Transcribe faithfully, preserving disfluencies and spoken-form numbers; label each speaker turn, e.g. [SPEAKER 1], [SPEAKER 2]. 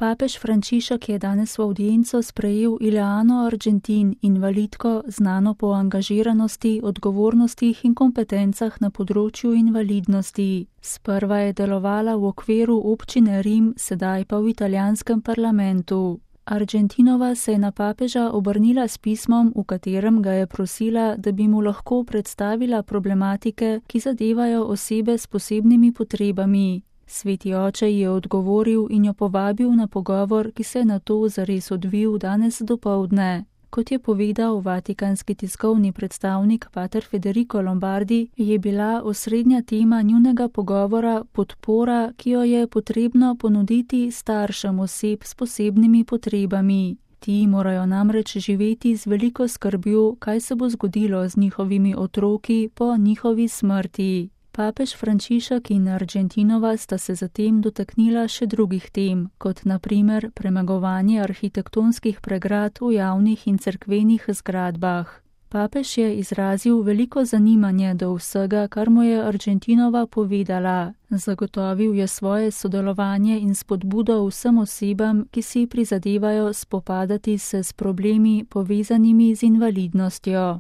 [SPEAKER 1] Papež Frančišek je danes v avdienco sprejel Ileano Argentin, invalidko, znano po angažiranosti, odgovornostih in kompetencah na področju invalidnosti. Sprva je delovala v okviru občine Rim, sedaj pa v italijanskem parlamentu. Argentinova se je na papeža obrnila s pismom, v katerem ga je prosila, da bi mu lahko predstavila problematike, ki zadevajo osebe s posebnimi potrebami. Sveti oče je odgovoril in jo povabil na pogovor, ki se je nato zares odvil danes dopoldne. Kot je povedal vatikanski tiskovni predstavnik pater Federico Lombardi, je bila osrednja tema njunega pogovora podpora, ki jo je potrebno ponuditi staršem oseb s posebnimi potrebami. Ti morajo namreč živeti z veliko skrbjo, kaj se bo zgodilo z njihovimi otroki po njihovi smrti. Papež Frančišek in Argentinova sta se zatem dotaknila še drugih tem, kot na primer premagovanje arhitektonskih pregrad v javnih in cerkvenih zgradbah. Papež je izrazil veliko zanimanje do vsega, kar mu je Argentinova povedala. Zagotovil je svoje sodelovanje in spodbudo vsem osebam, ki si prizadevajo spopadati se s problemi povezanimi z invalidnostjo.